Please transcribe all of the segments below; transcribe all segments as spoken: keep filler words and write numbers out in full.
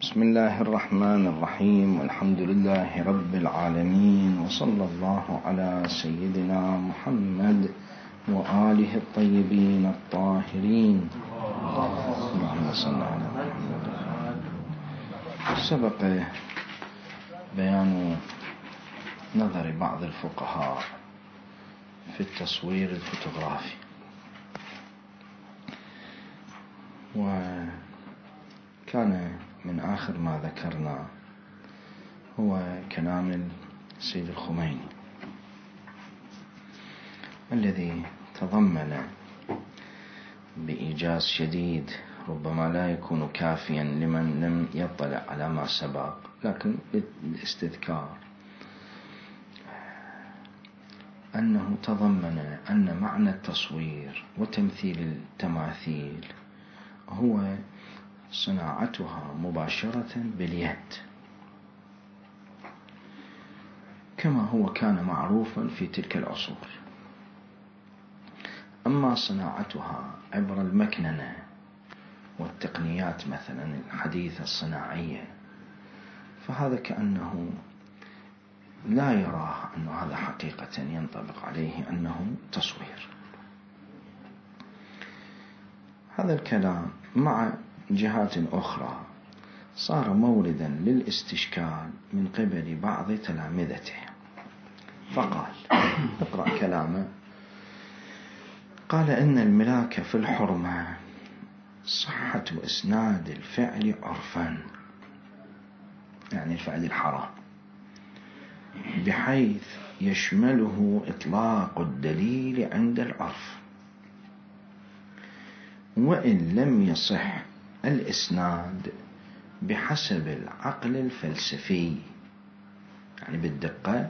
بسم الله الرحمن الرحيم، والحمد لله رب العالمين، وصلى الله على سيدنا محمد وآله الطيبين الطاهرين. اللهم صل على محمد. سبق بيان نظر بعض الفقهاء في التصوير الفوتوغرافي، وكان من آخر ما ذكرنا هو كلام السيد الخميني الذي تضمن بإيجاز شديد، ربما لا يكون كافيا لمن لم يطلع على ما سبق، لكن للاستذكار أنه تضمن أن معنى التصوير وتمثيل التماثيل هو صناعتها مباشرة باليد، كما هو كان معروفا في تلك العصور. أما صناعتها عبر المكننة والتقنيات مثلا الحديثة الصناعية، فهذا كأنه لا يراه أن هذا حقيقة ينطبق عليه أنه تصوير. هذا الكلام مع جهات أخرى صار موردا للاستشكال من قبل بعض تلامذته، فقال اقرأ كلامه. قال: إن الملاك في الحرمة صحة إسناد الفعل عرفا، يعني الفعل الحرام، بحيث يشمله إطلاق الدليل عند العرف، وإن لم يصح الإسناد بحسب العقل الفلسفي، يعني بالدقة،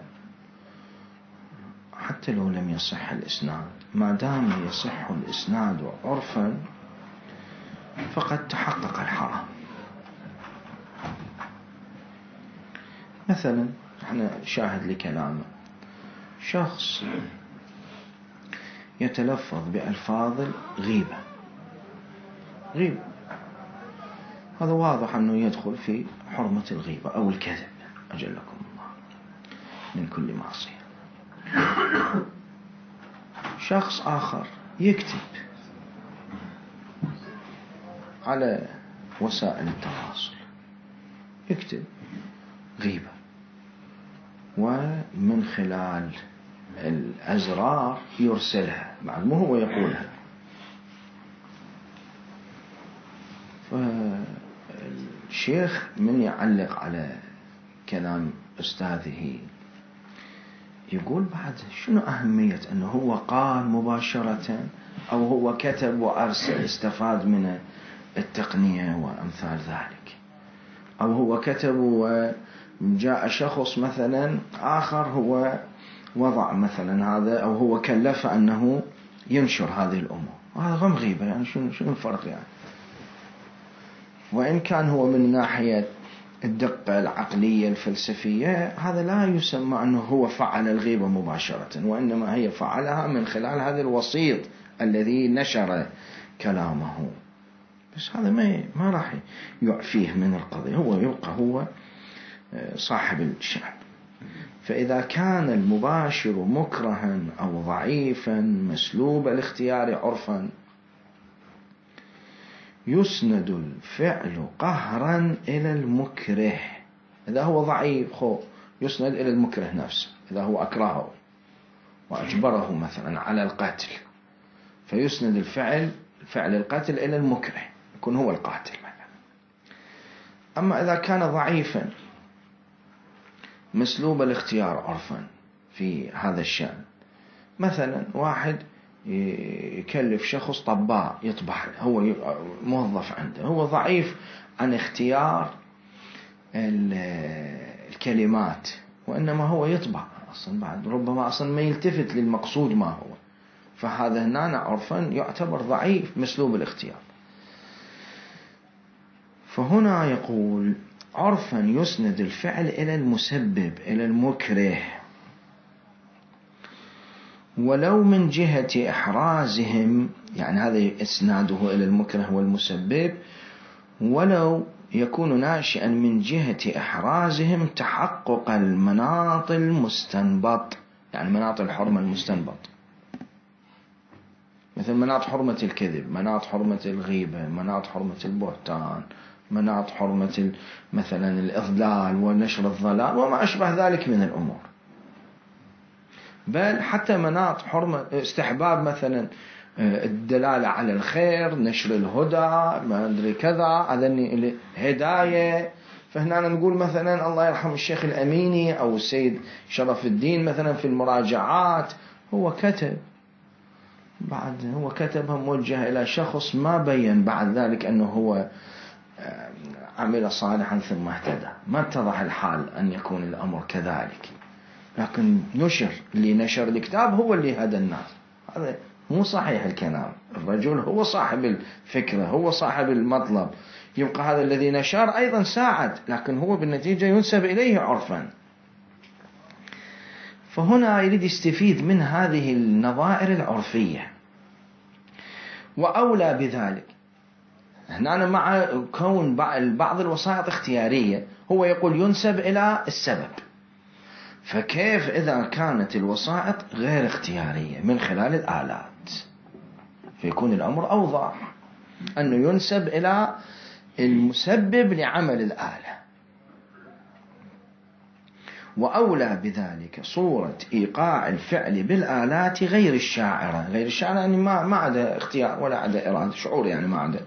حتى لو لم يصح الإسناد، ما دام يصح الإسناد عرفا فقد تحقق الحرام. مثلا احنا شاهد لكلامه، شخص يتلفظ بألفاظ الغيبة، غيبة، هذا واضح أنه يدخل في حرمة الغيبة أو الكذب، أجلكم الله، من كل معصية. شخص آخر يكتب على وسائل التواصل، يكتب غيبة، ومن خلال الأزرار يرسلها، بعد مو هو يقولها. فالشيخ من يعلق على كلام أستاذه يقول: بعد شنو أهمية أنه هو قال مباشرة، أو هو كتب وأرسل استفاد من التقنية وأمثال ذلك، أو هو كتب وجاء شخص مثلا آخر هو وضع مثلا هذا، أو هو كلف أنه ينشر هذه الأمور، وهذا غم غيبة. يعني شنو شنو الفرق؟ يعني وإن كان هو من ناحية الدقة العقلية الفلسفية هذا لا يسمى أنه هو فعل الغيبة مباشرة، وإنما هي فعلها من خلال هذا الوسيط الذي نشر كلامه. بس هذا ما ما راح يعفيه من القضية، هو يبقى هو صاحب الشأن. فإذا كان المباشر مكرها أو ضعيفا مسلوب الاختيار عرفا، يسند الفعل قهرا إلى المكره. إذا هو ضعيف خو يسند إلى المكره نفسه، إذا هو أكرهه وأجبره مثلا على القتل، فيسند الفعل فعل القتل إلى المكره، يكون هو القاتل مثلا. أما إذا كان ضعيفا مسلوب الاختيار عرفا في هذا الشأن، مثلا واحد يكلف شخص طباع يطبع، هو موظف عنده، هو ضعيف عن اختيار الكلمات، وإنما هو يطبع أصلا، بعد ربما أصلا ما يلتفت للمقصود ما هو، فهذا هنا عرفا يعتبر ضعيف مسلوب الاختيار. فهنا يقول: عرفا يسند الفعل إلى المسبب إلى المكره، ولو من جهة إحرازهم، يعني هذا إسناده إلى المكره والمسبب، ولو يكون ناشئا من جهة إحرازهم تحقق المناط المستنبط، يعني مناط الحرمة المستنبط، مثل مناط حرمة الكذب، مناط حرمة الغيبة، مناط حرمة البهتان، مناط حرمة مثلا الإضلال ونشر الضلال وما أشبه ذلك من الأمور. بل حتى مناط حرمة استحباب مثلا الدلالة على الخير، نشر الهدى، ما أدري كذا، هذا الهداية. فهنا نقول مثلا الله يرحم الشيخ الأميني أو السيد شرف الدين مثلا في المراجعات هو كتب بعد هو كتبها موجهة إلى شخص ما بين بعد ذلك أنه هو عمل صالحا ثم اهتدى، ما اتضح الحال أن يكون الأمر كذلك، لكن نشر اللي نشر الكتاب هو اللي هدى الناس. هذا مو صحيح الكلام. الرجل هو صاحب الفكرة، هو صاحب المطلب، يبقى هذا الذي نشر أيضا ساعد، لكن هو بالنتيجة ينسب إليه عرفا. فهنا يريد يستفيد من هذه النظائر العرفية. وأولى بذلك هنا مع كون بعض الوسائط اختيارية، هو يقول ينسب إلى السبب، فكيف إذا كانت الوسائط غير اختيارية من خلال الآلات؟ فيكون الأمر أوضح أنه ينسب إلى المسبب لعمل الآلة. وأولى بذلك صورة إيقاع الفعل بالآلات غير الشاعرة. غير الشاعرة يعني ما ما عدا اختيار ولا عدا إرادة، شعور يعني ما عدا،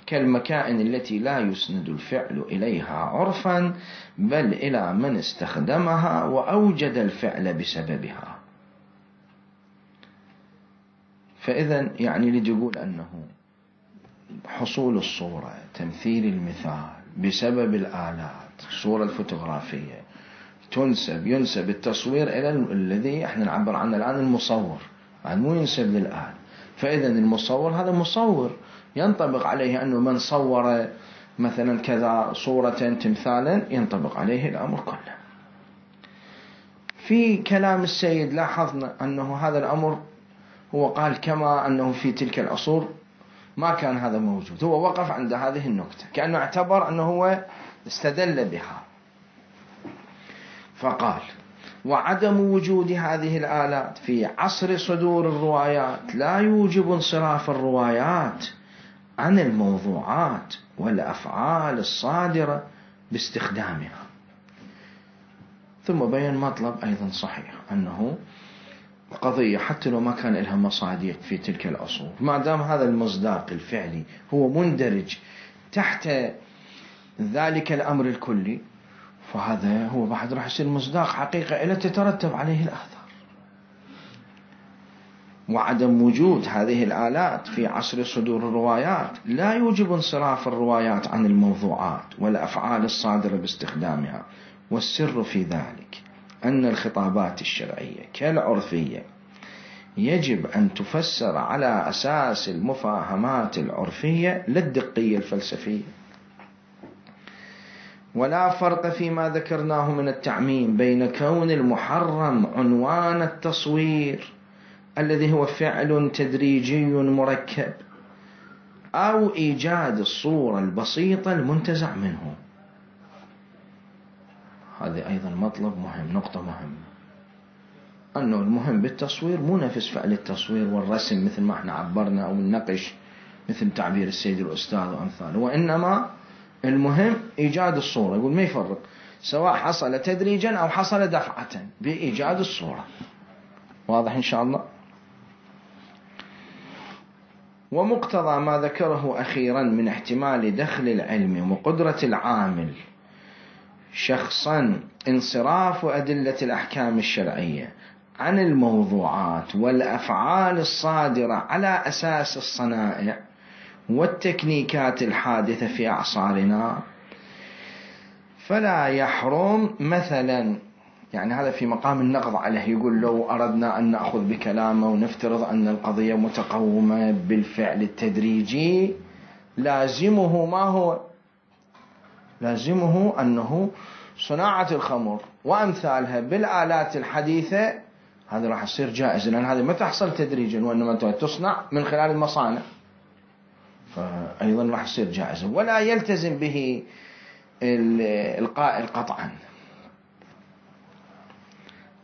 كالمكائن التي لا يسند الفعل إليها عرفا بل إلى من استخدمها وأوجد الفعل بسببها. فإذا يعني يريد يقول أنه حصول الصورة، تمثيل المثال بسبب الآلات، الصورة الفوتوغرافية تنسب ينسب التصوير إلى الذي احنا نعبر عنه الآن المصور، يعني مو ينسب للآلة. فإذا المصور هذا مصور ينطبق عليه أنه من صور مثلا كذا صورة تمثالا ينطبق عليه الأمر كله. في كلام السيد لاحظنا أنه هذا الأمر هو قال كما أنه في تلك العصور ما كان هذا موجود، هو وقف عند هذه النقطة كأنه اعتبر أنه هو استدل بها، فقال وعدم وجود هذه الآلات في عصر صدور الروايات لا يوجب انصراف الروايات عن الموضوعات والأفعال الصادرة باستخدامها. ثم بين مطلب أيضا صحيح أنه قضية حتى لو ما كان لها مصادق في تلك العصور، ما دام هذا المصداق الفعلي هو مندرج تحت ذلك الأمر الكلي، فهذا هو بعد راح يصير مصداق حقيقة إلا تترتب عليه الآثار. وعدم وجود هذه الآلات في عصر صدور الروايات لا يوجب انصراف الروايات عن الموضوعات والأفعال الصادرة باستخدامها. والسر في ذلك أن الخطابات الشرعية كالعرفية يجب أن تفسر على أساس المفاهمات العرفية لا الدقية الفلسفية. ولا فرق فيما ذكرناه من التعميم بين كون المحرم عنوان التصوير الذي هو فعل تدريجي مركب أو إيجاد الصورة البسيطة المنتزع منه. هذا أيضا مطلب مهم، نقطة مهمة، أنه المهم بالتصوير مو نفس فعل التصوير والرسم مثل ما احنا عبرنا أو النقش مثل تعبير السيد الأستاذ وأمثاله، وإنما المهم إيجاد الصورة. يقول ما يفرق سواء حصل تدريجا أو حصل دفعة بإيجاد الصورة. واضح إن شاء الله. ومقتضى ما ذكره أخيرا من احتمال دخل العلم وقدرة العامل شخصا انصراف أدلة الأحكام الشرعية عن الموضوعات والأفعال الصادرة على أساس الصنائع والتكنيكات الحادثة في أعصارنا، فلا يحرم مثلا، يعني هذا في مقام النقض عليه، يقول لو أردنا أن نأخذ بكلامه ونفترض أن القضية متقومة بالفعل التدريجي، لازمه ما هو؟ لازمه أنه صناعة الخمر وأمثالها بالآلات الحديثة هذا راح يصير جائز، لأن هذا ما تحصل تدريجا وإنما تصنع من خلال المصانع. فأيضا راح يصير جائزا، ولا يلتزم به القائل قطعا،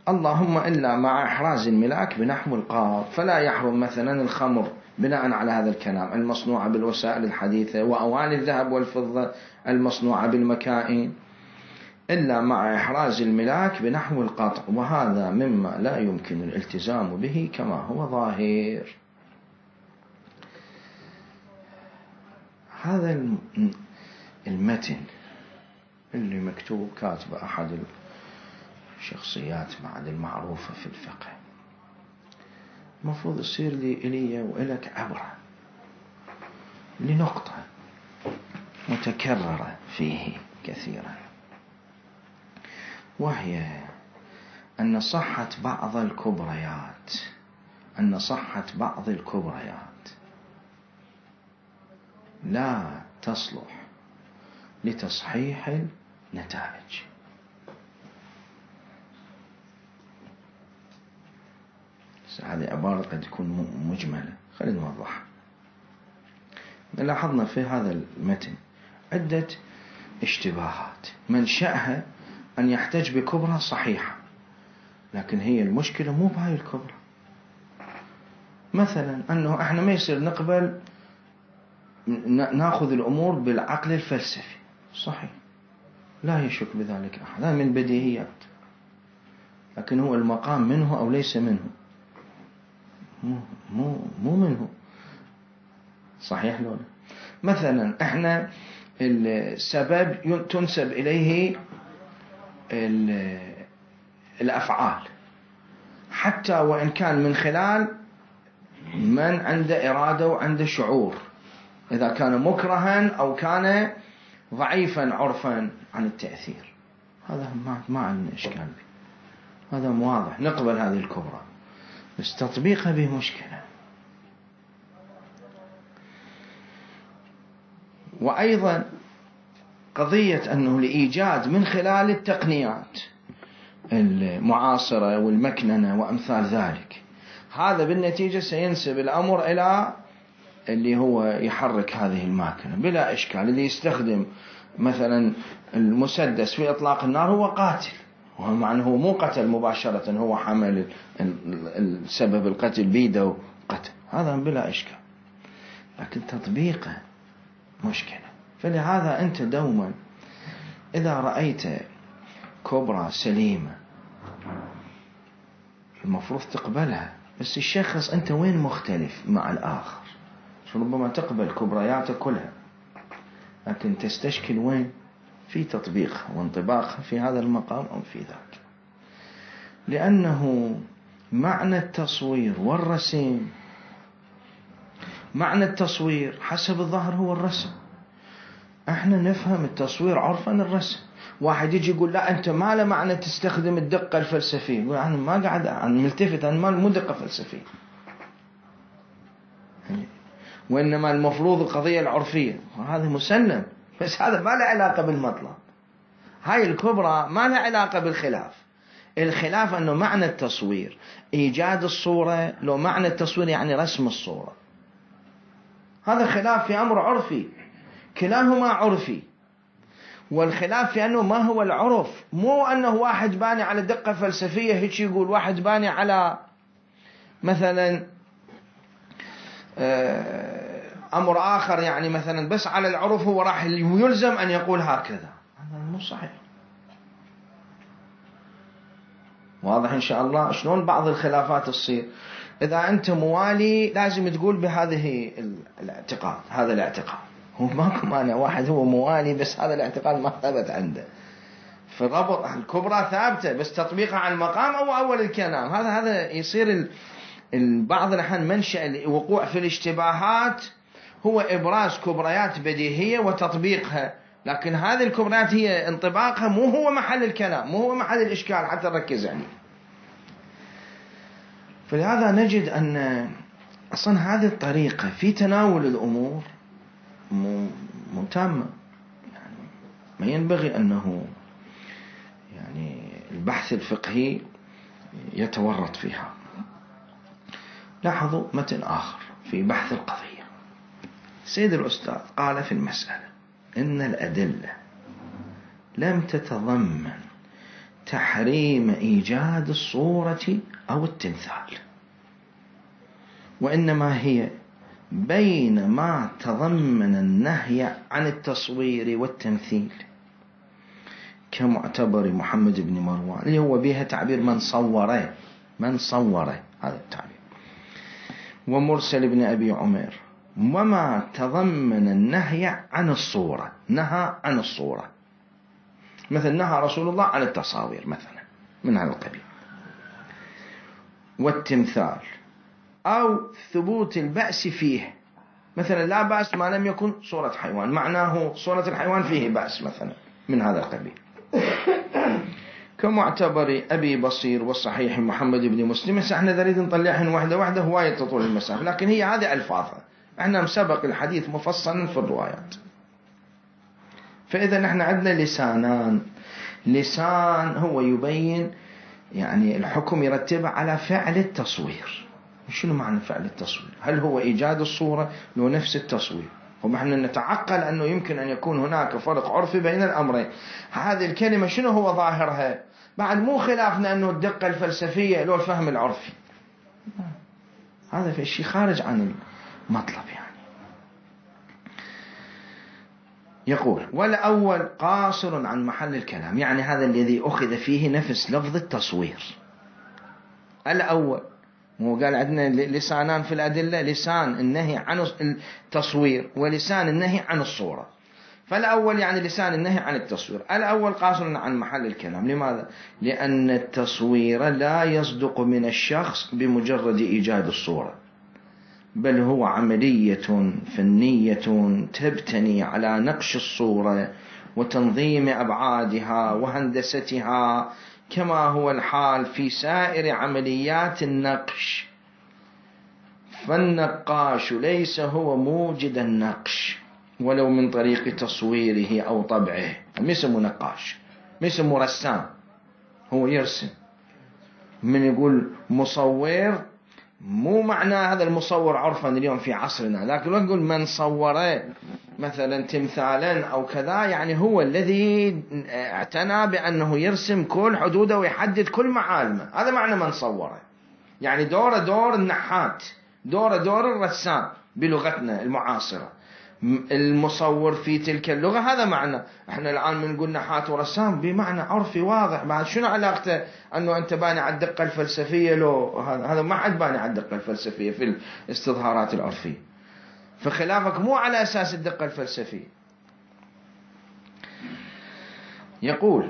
اللهم إلا مع إحراز الملاك بنحو القاط. فلا يحرم مثلا الخمر بناء على هذا الكلام المصنوعة بالوسائل الحديثة، وأواني الذهب والفضة المصنوعة بالمكائن، إلا مع إحراز الملاك بنحو القطع، وهذا مما لا يمكن الالتزام به كما هو ظاهر. هذا المتن اللي مكتوب كاتب أحد الشخصيات بعد المعروفة في الفقه، المفروض يصير لي إلي وإلك عبرة لنقطة متكررة فيه كثيرا، وهي أن صحة بعض الكبريات أن صحة بعض الكبريات لا تصلح لتصحيح النتائج. هذه عبارة قد تكون مجملة، خلينا نوضحها. لاحظنا في هذا المتن عدة اشتباهات منشأها أن يحتج بكبرى صحيحة، لكن هي المشكلة مو بهاي الكبرى. مثلا أنه احنا ما يصير نقبل ناخذ الأمور بالعقل الفلسفي، صحيح، لا يشك بذلك أحد، هذا من بديهيات، لكن هو المقام منه أو ليس منه؟ مو, مو, مو منه، صحيح لولا. مثلا احنا السبب تنسب إليه الأفعال، حتى وإن كان من خلال من عنده إرادة وعنده شعور، إذا كان مكرها أو كان ضعيفا عرفا عن التأثير، هذا ما, ما عندنا إشكال به، هذا واضح، نقبل هذه الكبرى، بس تطبيقها به مشكلة. وأيضا قضية أنه لإيجاد من خلال التقنيات المعاصرة والمكننة وأمثال ذلك، هذا بالنتيجة سينسب الأمر إلى اللي هو يحرك هذه الماكنة بلا إشكال. اللي يستخدم مثلا المسدس في إطلاق النار هو قاتل، ومع أنه هو مو قتل مباشرة، هو حمل السبب القتل بيده قتل، هذا بلا إشكال، لكن تطبيقه مشكلة. فلهذا أنت دوما إذا رأيت كبرى سليمة المفروض تقبلها، بس الشخص أنت وين مختلف مع الآخر، ربما تقبل كبرياته كلها، لكن تستشكل وين في تطبيقها وانطباقها في هذا المقام أو في ذاك. لأنه معنى التصوير والرسم، معنى التصوير حسب الظاهر هو الرسم، احنا نفهم التصوير عرفا الرسم. واحد يجي يقول لا أنت ما له معنى تستخدم الدقة الفلسفية، يقول أنا ما قاعد أنا ملتفت، أنا ما مو دقة فلسفية، وإنما المفروض القضية العرفية، وهذا مسلم، بس هذا ما له علاقة بالمطلب. هاي الكبرى ما له علاقة بالخلاف. الخلاف أنه معنى التصوير إيجاد الصورة، لو معنى التصوير يعني رسم الصورة، هذا خلاف في أمر عرفي، كلاهما عرفي. والخلاف في أنه ما هو العرف، مو أنه واحد باني على دقة فلسفية هيك يقول، واحد باني على مثلا أمر آخر، يعني مثلا بس على العرف هو راح يلزم أن يقول هكذا، هذا مو صحيح. واضح إن شاء الله شلون بعض الخلافات تصير. إذا أنت موالي لازم تقول بهذه الاعتقاد، هذا الاعتقاد هو ماكو مانع، واحد هو موالي بس هذا الاعتقاد ما ثبت عنده، فربط الكبرى ثابتة بس تطبيقها على المقام أو أول الكلام، هذا هذا يصير بعض الأحيان منشأ الوقوع في الاشتباهات هو إبراز كبريات بديهية وتطبيقها، لكن هذه الكبريات هي انطباقها مو هو محل الكلام، مو هو محل الإشكال حتى نركز عليه. فلهذا نجد أن أصلا هذه الطريقة في تناول الأمور مو تامة، يعني ما ينبغي أنه يعني البحث الفقهي يتورط فيها. لاحظوا متن آخر في بحث القضية، سيد الأستاذ قال في المسألة إن الأدلة لم تتضمن تحريم إيجاد الصورة أو التمثال، وإنما هي بين ما تضمن النهي عن التصوير والتمثيل، كمعتبر محمد بن مروان اللي هو بها تعبير من صوره، من صوره هذا التعبير، ومرسل بن أبي عمر، وما تضمن النهي عن الصورة، نهى عن الصورة، مثل نهى رسول الله عن التصاوير مثلا من هذا القبيل، والتمثال، أو ثبوت البأس فيه، مثلا لا بأس ما لم يكن صورة حيوان، معناه صورة الحيوان فيه بأس مثلا من هذا القبيل، كمعتبر أبي بصير والصحيح محمد بن مسلم. احنا نريد نطلعهن واحدة واحدة، هواية تطول المسافة، لكن هي هذه ألفاظها، احنا مسبق الحديث مفصلا في الروايات. فإذا نحن عندنا لسانان، لسان هو يبين يعني الحكم يرتب على فعل التصوير. شنو معنى فعل التصوير؟ هل هو إيجاد الصورة لو نفس التصوير؟ ونحن نتعقل أنه يمكن أن يكون هناك فرق عرفي بين الأمرين. هذه الكلمة شنو هو ظاهرها؟ بعد مو خلافنا أنه الدقة الفلسفية لو الفهم العرفي، هذا في شيء خارج عن المطلب يعني. يقول والأول قاصر عن محل الكلام، يعني هذا الذي أخذ فيه نفس لفظ التصوير. الأول مو قال عندنا لسانان في الأدلة، لسان النهي عن التصوير ولسان النهي عن الصورة، فالأول يعني لسان النهي عن التصوير. الأول قاصر عن محل الكلام، لماذا؟ لأن التصوير لا يصدق من الشخص بمجرد إيجاد الصورة، بل هو عملية فنية تبتني على نقش الصورة وتنظيم أبعادها وهندستها، كما هو الحال في سائر عمليات النقش. فالنقاش ليس هو موجد النقش ولو من طريق تصويره أو طبعه، ما اسمه نقاش، ما اسمه رسام، هو يرسم. من يقول مصور مو معنى هذا المصور عرفا اليوم في عصرنا، لكن لو نقول من صور مثلا تمثالا أو كذا، يعني هو الذي اعتنى بأنه يرسم كل حدوده ويحدد كل معالمه، هذا معنى من صور. يعني دور دور النحات، دور دور الرسام بلغتنا المعاصرة، المصور في تلك اللغة، هذا معنى. احنا الآن بنقول نحات ورسام بمعنى عرفي واضح. بعد شنو علاقته أنه أنت باني على الدقة الفلسفية؟ لو هذا ما حد باني على الدقة الفلسفية في الاستظهارات العرفية، فخلافك مو على أساس الدقة الفلسفية. يقول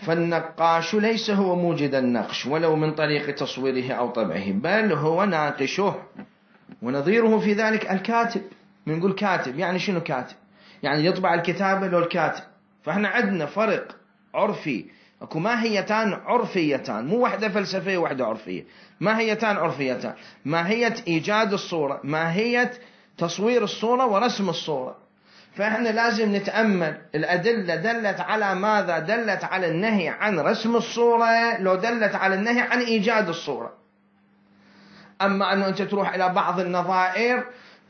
فالنقاش ليس هو موجد النقش ولو من طريق تصويره أو طبعه، بل هو ناقشه. ونظيره في ذلك الكاتب. بنقول كاتب، يعني شنو كاتب؟ يعني يطبع الكتابة لو الكاتب. فاحنا عندنا فرق عرفي، اكو ماهيتان عرفيتان، مو واحدة فلسفية وواحدة عرفية، ماهيتان عرفيتان، ماهية إيجاد الصورة، ماهية تصوير الصورة ورسم الصورة. فاحنا لازم نتأمل الأدلة دلت على ماذا؟ دلت على النهي عن رسم الصورة لو دلت على النهي عن إيجاد الصورة. أما أنه أنت تروح إلى بعض النظائر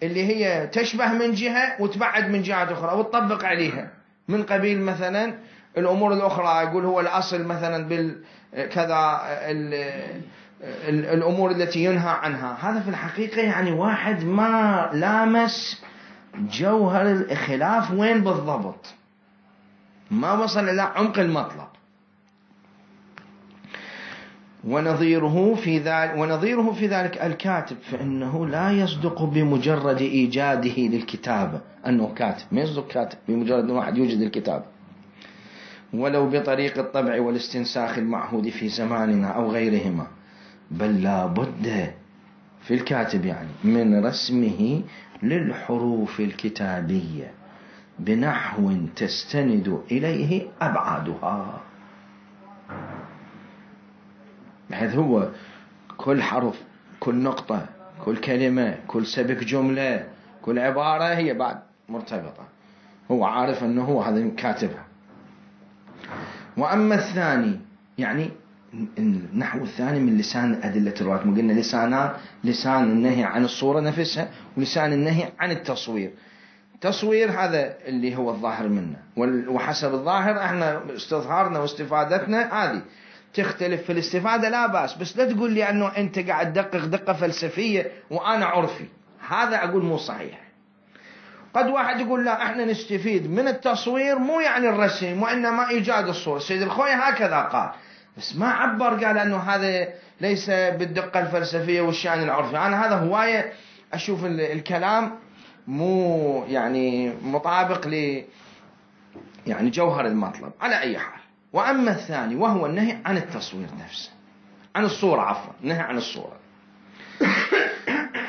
اللي هي تشبه من جهة وتبعد من جهة أخرى وتطبق عليها، من قبيل مثلا الأمور الأخرى، يقول هو الأصل مثلا بالكذا الأمور التي ينهى عنها. هذا في الحقيقة يعني واحد ما لامس جوهر الخلاف وين بالضبط، ما وصل إلى عمق المطلب. ونظيره في ذلك ونظيره في ذلك الكاتب، فإنه لا يصدق بمجرد إيجاده للكتابة أنه كاتب، ما يصدق كاتب بمجرد أن واحد يوجد الكتاب، ولو بطريق الطبع والاستنساخ المعهود في زماننا أو غيرهما، بل لا بد في الكاتب يعني من رسمه للحروف الكتابية بنحو تستند إليه أبعادها، بحيث هو كل حرف، كل نقطة، كل كلمة، كل سبك جملة، كل عبارة هي بعد مرتبطة، هو عارف أنه هو هذا كاتبها. وأما الثاني يعني النحو الثاني من لسان أدلة الرواية، ما قلنا لسانان، لسان النهي عن الصورة نفسها ولسان النهي عن التصوير. تصوير هذا اللي هو الظاهر منه، وحسب الظاهر احنا استظهارنا واستفادتنا هذه تختلف في الاستفادة لا بأس، بس لا تقول لي انه انت قاعد تدقق دقة فلسفية وانا عرفي، هذا اقول مو صحيح. قد واحد يقول لا احنا نستفيد من التصوير مو يعني الرسم وانما ايجاد الصورة، سيد الخوي هكذا قال، بس ما عبر قال انه هذا ليس بالدقة الفلسفية والشأن العرفي. انا هذا هواية اشوف الكلام مو يعني مطابق ل يعني جوهر المطلب على اي حال. واما الثاني وهو النهي عن التصوير نفسه، عن الصورة عفوا، النهي عن الصورة،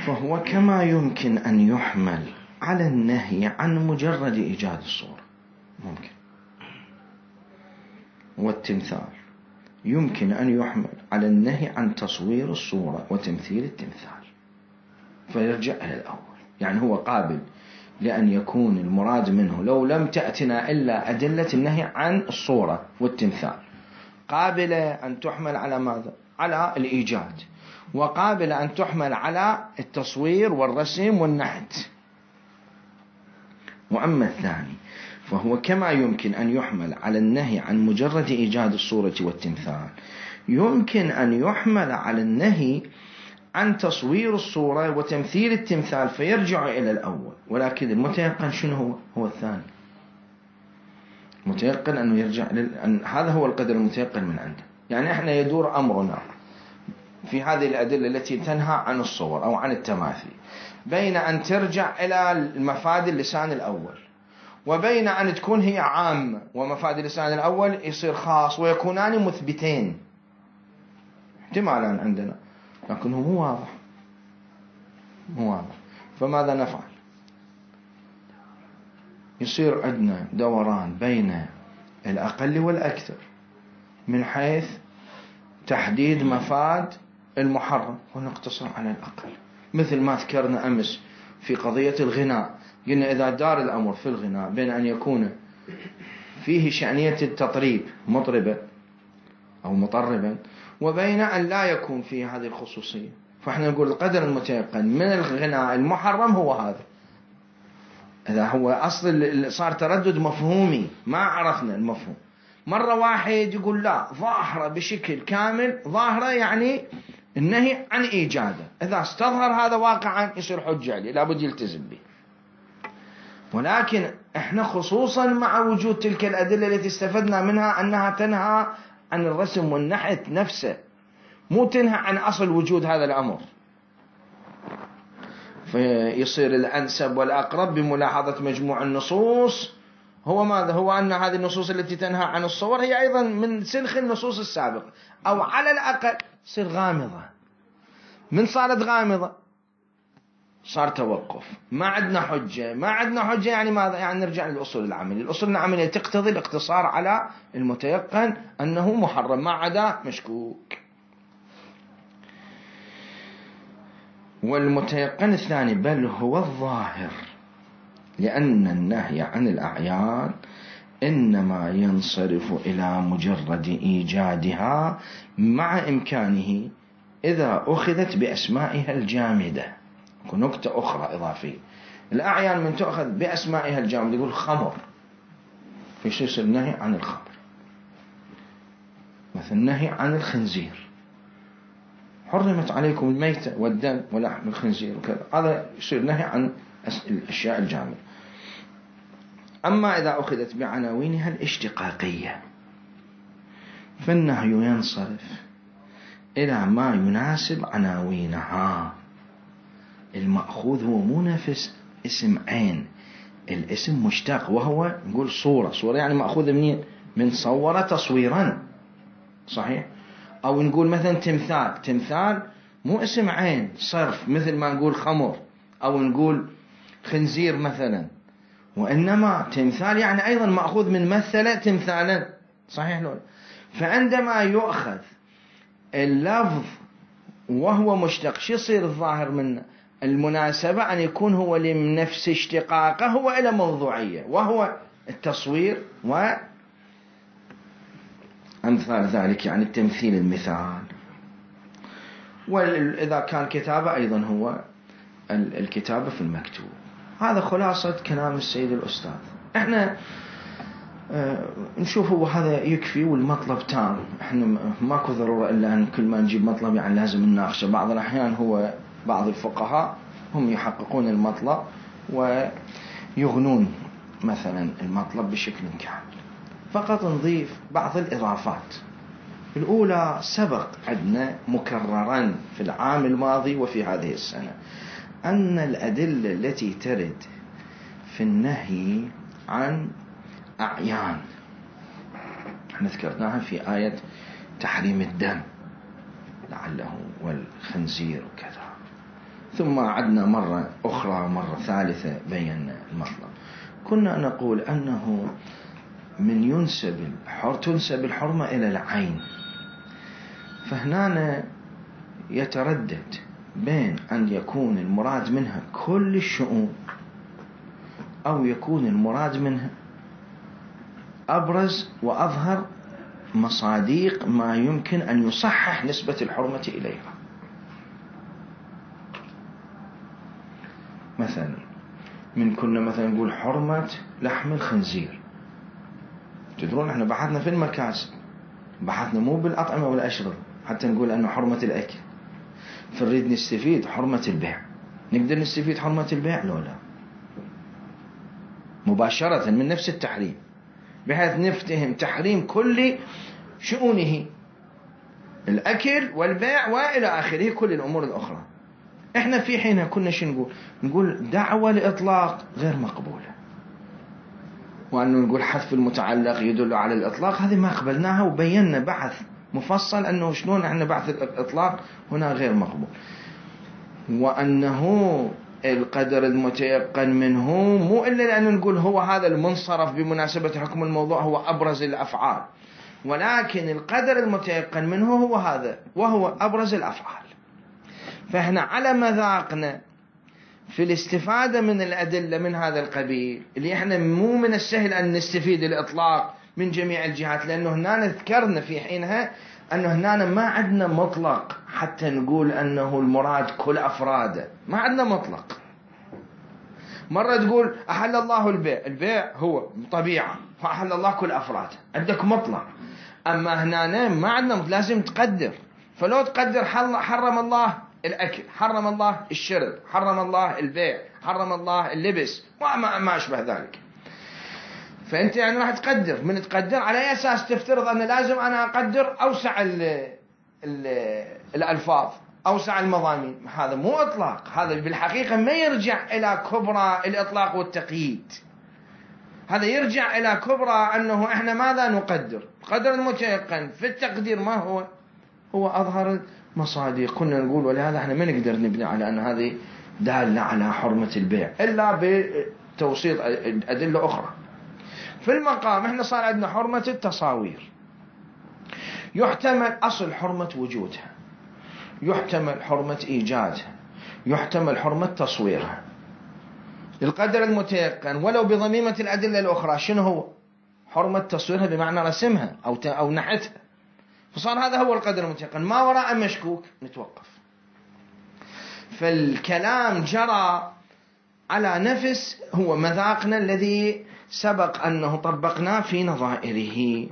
فهو كما يمكن ان يحمل على النهي عن مجرد ايجاد الصورة، ممكن، والتمثال يمكن ان يحمل على النهي عن تصوير الصورة وتمثيل التمثال، فيرجع الى الاول. يعني هو قابل لأن يكون المراد منه لو لم تأتنا إلا أدلة النهي عن الصورة والتمثال، قابلة أن تحمل على ماذا؟ على الإيجاد، وقابلة أن تحمل على التصوير والرسم والنحت. وأما الثاني فهو كما يمكن أن يحمل على النهي عن مجرد إيجاد الصورة والتمثال، يمكن أن يحمل على النهي عن تصوير الصورة وتمثيل التمثال، فيرجع إلى الأول. ولكن المتيقن شنو هو؟ هو الثاني. متيقن أنه يرجع لل... أن هذا هو القدر المتيقن من عنده. يعني إحنا يدور أمرنا في هذه الأدلة التي تنهى عن الصور أو عن التماثيل بين أن ترجع إلى المفاد اللسان الأول، وبين أن تكون هي عامة ومفاد اللسان الأول يصير خاص، ويكونان مثبتين احتمالا عندنا، لكنه مو واضح، مو واضح. فماذا نفعل؟ يصير عندنا دوران بين الأقل والأكثر من حيث تحديد مفاد المحرم، ونقتصر على الأقل، مثل ما ذكرنا أمس في قضية الغناء. قلنا إذا دار الأمر في الغناء بين أن يكون فيه شأنية التطريب مطربا أو مطربا، وبين أن لا يكون فيه هذه الخصوصية، فإحنا نقول القدر المتيقن من الغناء المحرم هو هذا. إذا هو أصل صار تردد مفهومي، ما عرفنا المفهوم. مرة واحد يقول لا ظاهرة بشكل كامل، ظاهرة يعني النهي عن إيجاده، إذا استظهر هذا واقعا يصير حجة عليه، لابد يلتزم به. ولكن احنا خصوصا مع وجود تلك الأدلة التي استفدنا منها أنها تنهى عن الرسم والنحت نفسه، مو تنهى عن أصل وجود هذا الأمر، فيصير الأنسب والأقرب بملاحظة مجموع النصوص هو ماذا؟ هو أن هذه النصوص التي تنهى عن الصور هي أيضا من سلخ النصوص السابقة، أو على الأقل تصير غامضة. من صارت غامضة صار توقف، ما عندنا حجة. ما عندنا حجة يعني ماذا؟ يعني نرجع للأصول العملية. الأصول العملية تقتضي الاقتصار على المتيقن أنه محرم، ما عدا مشكوك. والمتيقن الثاني بل هو الظاهر، لأن النهي عن الأعيان إنما ينصرف إلى مجرد إيجادها مع إمكانه إذا أخذت بأسمائها الجامدة. نكتة أخرى إضافية، الأعيان من تأخذ بأسمائها الجامدة، يقول خمر، في شيء يصير النهي عن الخمر، مثل النهي عن الخنزير، حرمت عليكم الميتة والدم ولحم الخنزير وكذا، هذا يصير نهي عن الأشياء الجامدة. أما إذا أخذت بعناوينها الاشتقاقية فالنهي ينصرف إلى ما يناسب عناوينها. المأخوذ هو مو نفس اسم عين، الاسم مشتق، وهو نقول صورة. صورة يعني مأخوذ منين؟ من صور تصويرا، صحيح؟ أو نقول مثلا تمثال، تمثال مو اسم عين صرف مثل ما نقول خمر أو نقول خنزير مثلا، وإنما تمثال يعني أيضا مأخوذ من مثل تمثالا، صحيح لولا؟ فعندما يؤخذ اللفظ وهو مشتق شو يصير الظاهر منه؟ المناسبة أن يكون هو لنفس اشتقاقه هو إلى موضوعية، وهو التصوير وأمثال ذلك، يعني التمثيل المثال. وإذا كان كتابة أيضا هو الكتابة في المكتوب. هذا خلاصة كلام السيد الأستاذ. احنا اه نشوف هو هذا يكفي والمطلب تام. احنا ماكو ضرورة إلا أن كل ما نجيب مطلب يعني لازم نناقشه. بعض الأحيان هو بعض الفقهاء هم يحققون المطلب ويغنون مثلا المطلب بشكل كامل. فقط نضيف بعض الإضافات. الأولى سبق عندنا مكررا في العام الماضي وفي هذه السنة أن الأدلة التي ترد في النهي عن أعيان احنا ذكرناها في آية تحريم الدم لعله والخنزير وكذا، ثم عدنا مرة أخرى مرة ثالثة بينا المطلب. كنا نقول أنه من ينسب الحر تنسب الحرمة إلى العين، فهنا يتردد بين أن يكون المراد منها كل الشؤون أو يكون المراد منها أبرز وأظهر مصاديق ما يمكن أن يصحح نسبة الحرمة إليها. مثلا من كنا مثلا نقول حرمة لحم الخنزير، تدرون احنا بحثنا في المكاسب، بحثنا مو بالأطعمة والأشربة حتى نقول أنه حرمة الأكل، فنريد نستفيد حرمة البيع. نقدر نستفيد حرمة البيع؟ لا لا، مباشرة من نفس التحريم، بحيث نفتهم تحريم كل شؤونه، الأكل والبيع وإلى آخره كل الأمور الأخرى. احنا في حينها كنا شو نقول؟ نقول دعوة لإطلاق غير مقبولة، وأنه نقول حذف المتعلق يدل على الإطلاق، هذه ما قبلناها وبينا بحث مفصل أنه شلون احنا بحث الإطلاق هنا غير مقبول، وأنه القدر المتيقن منه مو إلا لأنه نقول هو هذا المنصرف بمناسبة حكم الموضوع هو أبرز الأفعال، ولكن القدر المتيقن منه هو هذا وهو أبرز الأفعال. فإحنا على مذاقنا في الاستفادة من الأدلة من هذا القبيل اللي احنا مو من السهل أن نستفيد الإطلاق من جميع الجهات، لأنه هنا ذكرنا في حينها أنه هنا ما عندنا مطلق حتى نقول أنه المراد كل أفراده، ما عندنا مطلق. مرة تقول أحل الله البيع، البيع هو طبيعة فأحل الله كل أفراده، عندك مطلق. أما هنا ما عندنا، لازم تقدر. فلو تقدر حرم الله الأكل، حرم الله الشرب، حرم الله البيع، حرم الله اللبس وما ما أشبه ذلك. فأنت يعني راح تقدر، من تقدر على أي أساس تفترض أن لازم أنا أقدر أوسع ال ال الألفاظ، أوسع المضامين. هذا مو إطلاق، هذا بالحقيقة ما يرجع إلى كبرى الإطلاق والتقييد، هذا يرجع إلى كبرى أنه إحنا ماذا نقدر. قدر المتيقن في التقدير ما هو؟ هو أظهر المصادق. كنا نقول ولهذا إحنا ما نقدر نبني على أن هذه دالة على حرمة البيع إلا بتوسيط أدلة أخرى. في المقام إحنا صار عندنا حرمة التصاوير، يحتمل أصل حرمة وجودها، يحتمل حرمة إيجادها، يحتمل حرمة تصويرها. القدر المتيقن ولو بضميمة الأدلة الأخرى شنو هو؟ حرمة تصويرها بمعنى رسمها أو أو نحتها. فصار هذا هو القدر المتيقن، ما وراء مشكوك نتوقف. فالكلام جرى على نفس هو مذاقنا الذي سبق أنه طبقناه في نظائره.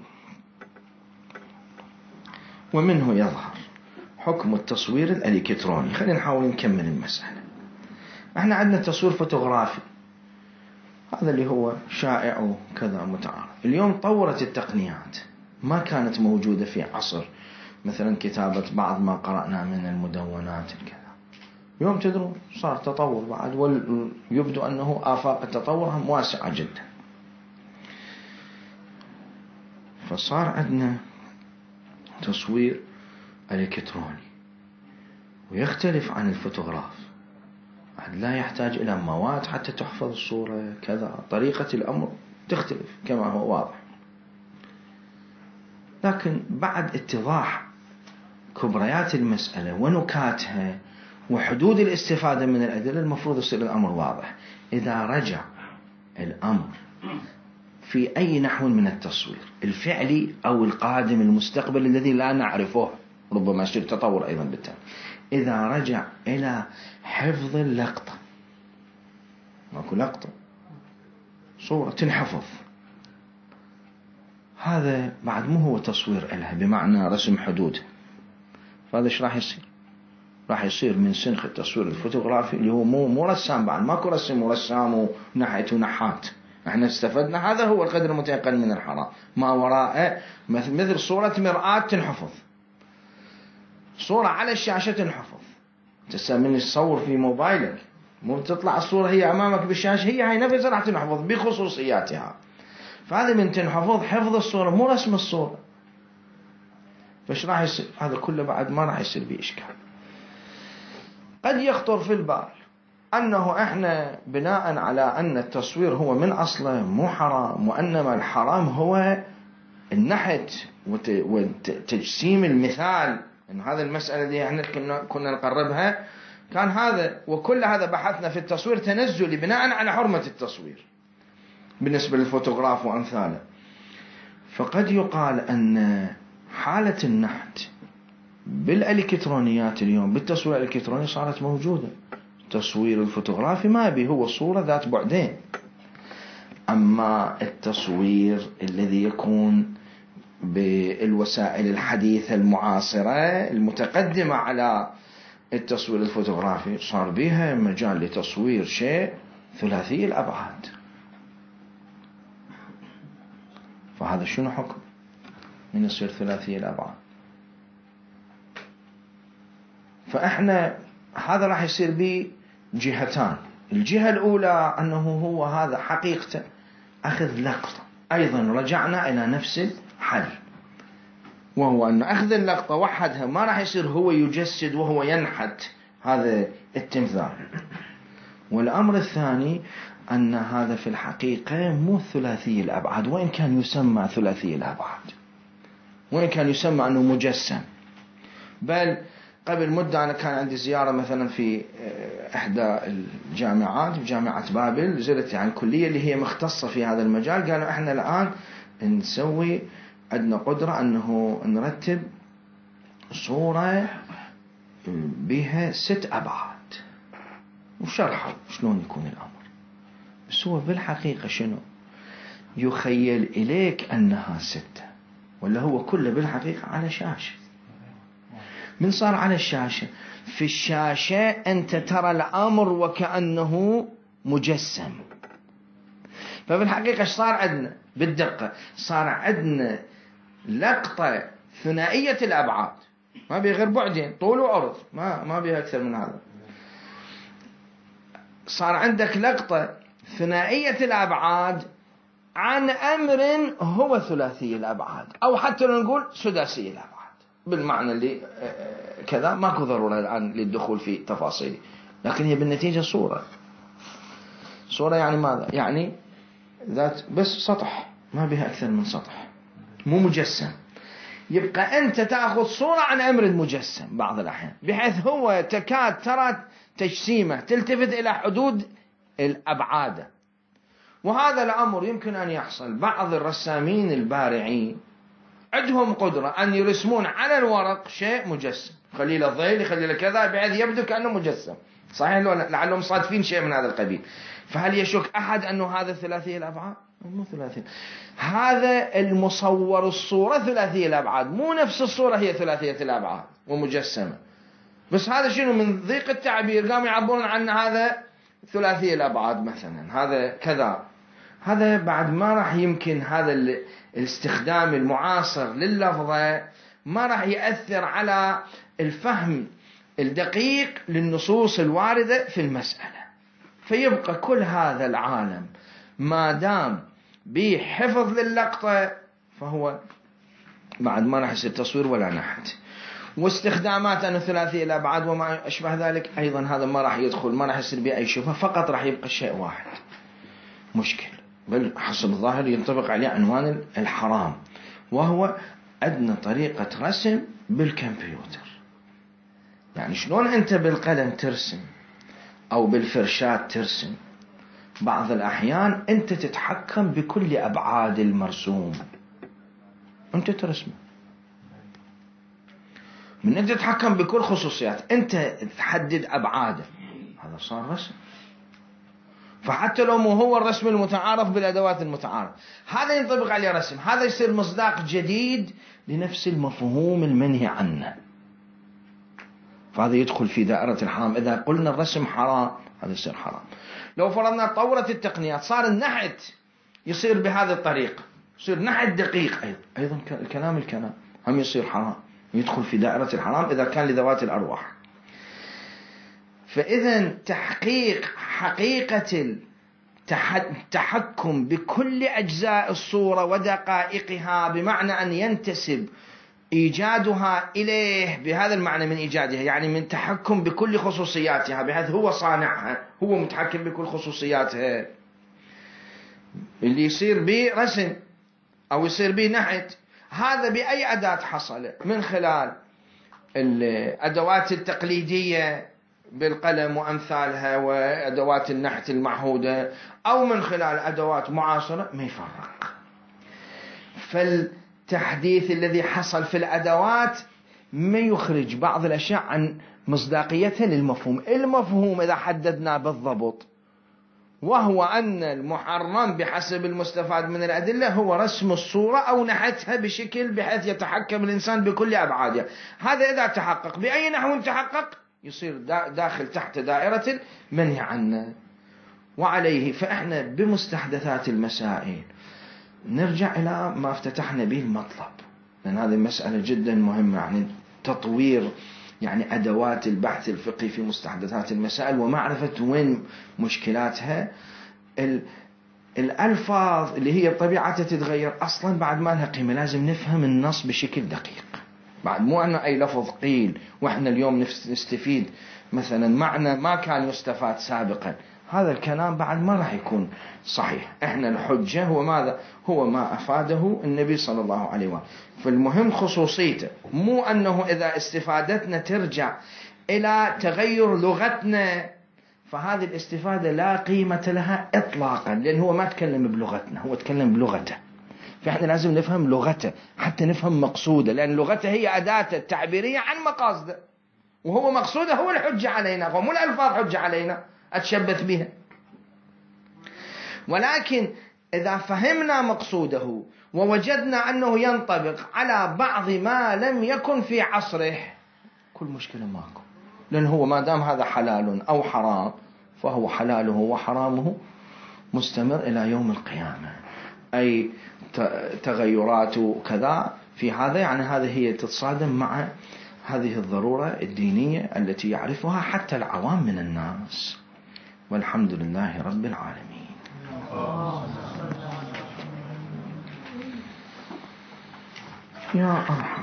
ومنه يظهر حكم التصوير الإلكتروني. خلينا نحاول نكمل المسألة. احنا عندنا تصوير فوتوغرافي، هذا اللي هو شائع وكذا متعارف. اليوم طورت التقنيات، ما كانت موجودة في عصر مثلا كتابة بعض ما قرأنا من المدونات كذا. اليوم تدرون صار تطور بعد، ويبدو أنه آفاق التطور واسعة جدا. فصار عندنا تصوير الكتروني ويختلف عن الفوتوغراف، لا يحتاج إلى مواد حتى تحفظ الصورة كذا، طريقة الأمر تختلف كما هو واضح. لكن بعد اتضاح كبريات المسألة ونكاتها وحدود الاستفادة من الأدلة المفروض يصير الأمر واضح. إذا رجع الأمر في أي نحو من التصوير الفعلي أو القادم المستقبل الذي لا نعرفه، ربما يصير تطور أيضا بالتالي، إذا رجع إلى حفظ اللقطة ماكو لقطة، صورة تنحفظ. هذا بعد مو هو تصوير إلها بمعنى رسم حدود. فهذا ايش راح يصير؟ راح يصير من سنخ التصوير الفوتوغرافي اللي هو مو مو رسام، بعد ماكو رسم ورسام ونحت ونحات. احنا استفدنا هذا هو القدر المتيقن من الحرام، ما وراءه مثل صورة مرآة تنحفظ، صورة على الشاشة تنحفظ. تسا من تصور في موبايلك مو تطلع الصورة هي امامك بالشاشة، هي هاي نفسها راح تنحفظ بخصوصياتها. فهذا من تنحفظ حفظ الصورة مو رسم الصورة. فايش راح يصير؟ هذا كله بعد ما راح يصير به اشكال. قد يخطر في البال أنه إحنا بناء على أن التصوير هو من أصله مو حرام، وأنما الحرام هو النحت وتجسيم المثال. إن هذا المسألة دي إحنا كنا نقربها كان هذا، وكل هذا بحثنا في التصوير تنزلي بناء على حرمة التصوير بالنسبة للفوتوغراف وأمثاله. فقد يقال أن حالة النحت بالإلكترونيات اليوم، بالتصوير الإلكتروني صارت موجودة. التصوير الفوتوغرافي ما بي، هو صورة ذات بعدين. أما التصوير الذي يكون بالوسائل الحديثة المعاصرة المتقدمة على التصوير الفوتوغرافي صار بها مجال لتصوير شيء ثلاثي الأبعاد. فهذا شنو حكم من يصير ثلاثي الأبعاد؟ فإحنا هذا راح يصير به جهتان. الجهة الأولى أنه هو هذا حقيقة أخذ لقطة، أيضا رجعنا إلى نفس الحل، وهو أن أخذ اللقطة وحدها ما راح يصير هو يجسد وهو ينحت هذا التمثال. والأمر الثاني أن هذا في الحقيقة مو ثلاثي الأبعاد، وإن كان يسمى ثلاثي الأبعاد، وإن كان يسمى أنه مجسم. بل قبل مدة أنا كان عندي زيارة مثلا في إحدى الجامعات، في جامعة بابل، زرت عن كلية اللي هي مختصة في هذا المجال. قالوا إحنا الآن نسوي عندنا قدرة أنه نرتب صورة بها ست أبعاد، وشرحوا شلون يكون الأمر. بس هو بالحقيقة شنو؟ يخيل إليك أنها ستة، ولا هو كله بالحقيقة على شاشة. من صار على الشاشة، في الشاشة أنت ترى الأمر وكأنه مجسم. ففي الحقيقة ايش صار عندنا بالدقة؟ صار عندنا لقطة ثنائية الأبعاد، ما بيه غير بعدين، طول وعرض، ما ما بيه أكثر من هذا. صار عندك لقطة ثنائية الأبعاد عن أمر هو ثلاثي الأبعاد، أو حتى نقول سداسي الأبعاد بالمعنى اللي كذا. ماكو ضرورة الآن للدخول في تفاصيل، لكن هي بالنتيجة صورة. صورة يعني ماذا؟ يعني ذات بس سطح، ما بها أكثر من سطح، مو مجسم. يبقى أنت تأخذ صورة عن أمر مجسم بعض الأحيان، بحيث هو تكاد ترى تجسيمه، تلتفت إلى حدود الأبعاد. وهذا الأمر يمكن أن يحصل. بعض الرسامين البارعين عندهم قدرة أن يرسمون على الورق شيء مجسم، خلي له ظل، خلي له كذا، بحيث يبدو كأنه مجسم. صحيح لو لعلهم صادفين شيء من هذا القبيل. فهل يشك أحد أنه هذا ثلاثي الأبعاد؟ مو ثلاثي. هذا المصور الصورة ثلاثي الأبعاد، مو نفس الصورة هي ثلاثية الأبعاد ومجسمة. بس هذا شنو من ضيق التعبير قاموا يعبرون عن هذا ثلاثي الأبعاد مثلا، هذا كذا. هذا بعد ما راح يمكن هذا الاستخدام المعاصر لللفظة ما راح يأثر على الفهم الدقيق للنصوص الواردة في المسألة. فيبقى كل هذا العالم ما دام بحفظ للقطة فهو بعد ما راح يصير تصوير ولا نحت. واستخدامات أنه ثلاثي الأبعاد وما أشبه ذلك أيضا هذا ما راح يدخل، ما راح يصير به أي شبهة. فقط راح يبقى شيء واحد مشكل، بل حسب الظاهر ينطبق عليه عنوان الحرام، وهو عندنا طريقة رسم بالكمبيوتر. يعني شلون أنت بالقلم ترسم أو بالفرشاة ترسم، بعض الأحيان أنت تتحكم بكل أبعاد المرسوم، أنت ترسمه. من أنت تتحكم بكل خصوصيات، أنت تحدد أبعاده، هذا صار رسم. فحتى لو مو هو الرسم المتعارف بالأدوات المتعارف، هذا ينطبق عليه رسم، هذا يصير مصداق جديد لنفس المفهوم المنهي عنه، فهذا يدخل في دائرة الحرام. إذا قلنا الرسم حرام هذا يصير حرام. لو فرضنا تطورت التقنيات صار النحت يصير بهذه الطريقة، يصير نحت دقيق، أيضا أيضا الكلام الكلام هم يصير حرام، يدخل في دائرة الحرام إذا كان لذوات الأرواح. فإذا تحقيق حقيقة التحكم بكل أجزاء الصورة ودقائقها، بمعنى أن ينتسب إيجادها إليه بهذا المعنى من إيجادها، يعني من تحكم بكل خصوصياتها، بحيث هو صانعها، هو متحكم بكل خصوصياتها. اللي يصير به رسم أو يصير به نحت، هذا بأي أداة حصل؟ من خلال الأدوات التقليدية بالقلم وأمثالها وأدوات النحت المعهودة، أو من خلال أدوات معاصرة، ما يفرق. فالتحديث الذي حصل في الأدوات ما يخرج بعض الأشياء عن مصداقيتها للمفهوم. المفهوم إذا حددنا بالضبط، وهو أن المحرم بحسب المستفاد من الأدلة هو رسم الصورة أو نحتها بشكل بحيث يتحكم الإنسان بكل أبعادها. هذا إذا تحقق بأي نحو تحقق يصير داخل تحت دائرة المنهي عنه. وعليه فإحنا بمستحدثات المسائل نرجع إلى ما افتتحنا به المطلب، لأن هذه مسألة جدا مهمة، يعني تطوير يعني أدوات البحث الفقهي في مستحدثات المسائل ومعرفة وين مشكلاتها. الألفاظ اللي هي طبيعتها تتغير أصلا بعد ما لها قيمة، لازم نفهم النص بشكل دقيق، بعد مو أنه أي لفظ قيل وإحنا اليوم نستفيد مثلا معنى ما كان يستفاد سابقا، هذا الكلام بعد ما راح يكون صحيح. إحنا الحجة هو ماذا؟ هو ما أفاده النبي صلى الله عليه وسلم. فالمهم خصوصيته، مو أنه إذا استفادتنا ترجع إلى تغير لغتنا، فهذه الاستفادة لا قيمة لها إطلاقا، لأن هو ما تكلم بلغتنا، هو تكلم بلغته. فإحنا لازم نفهم لغته حتى نفهم مقصوده، لأن لغته هي أداة التعبيرية عن مقاصده، وهو مقصوده هو الحجة علينا، ومو الألفاظ حجة علينا أتشبث بها. ولكن إذا فهمنا مقصوده ووجدنا أنه ينطبق على بعض ما لم يكن في عصره، كل مشكلة ماكو، لأن هو ما دام هذا حلال أو حرام فهو حلاله وحرامه مستمر إلى يوم القيامة. أي تغيرات كذا في هذا، يعني هذه هي تتصادم مع هذه الضرورة الدينية التي يعرفها حتى العوام من الناس. والحمد لله رب العالمين. يا أرحم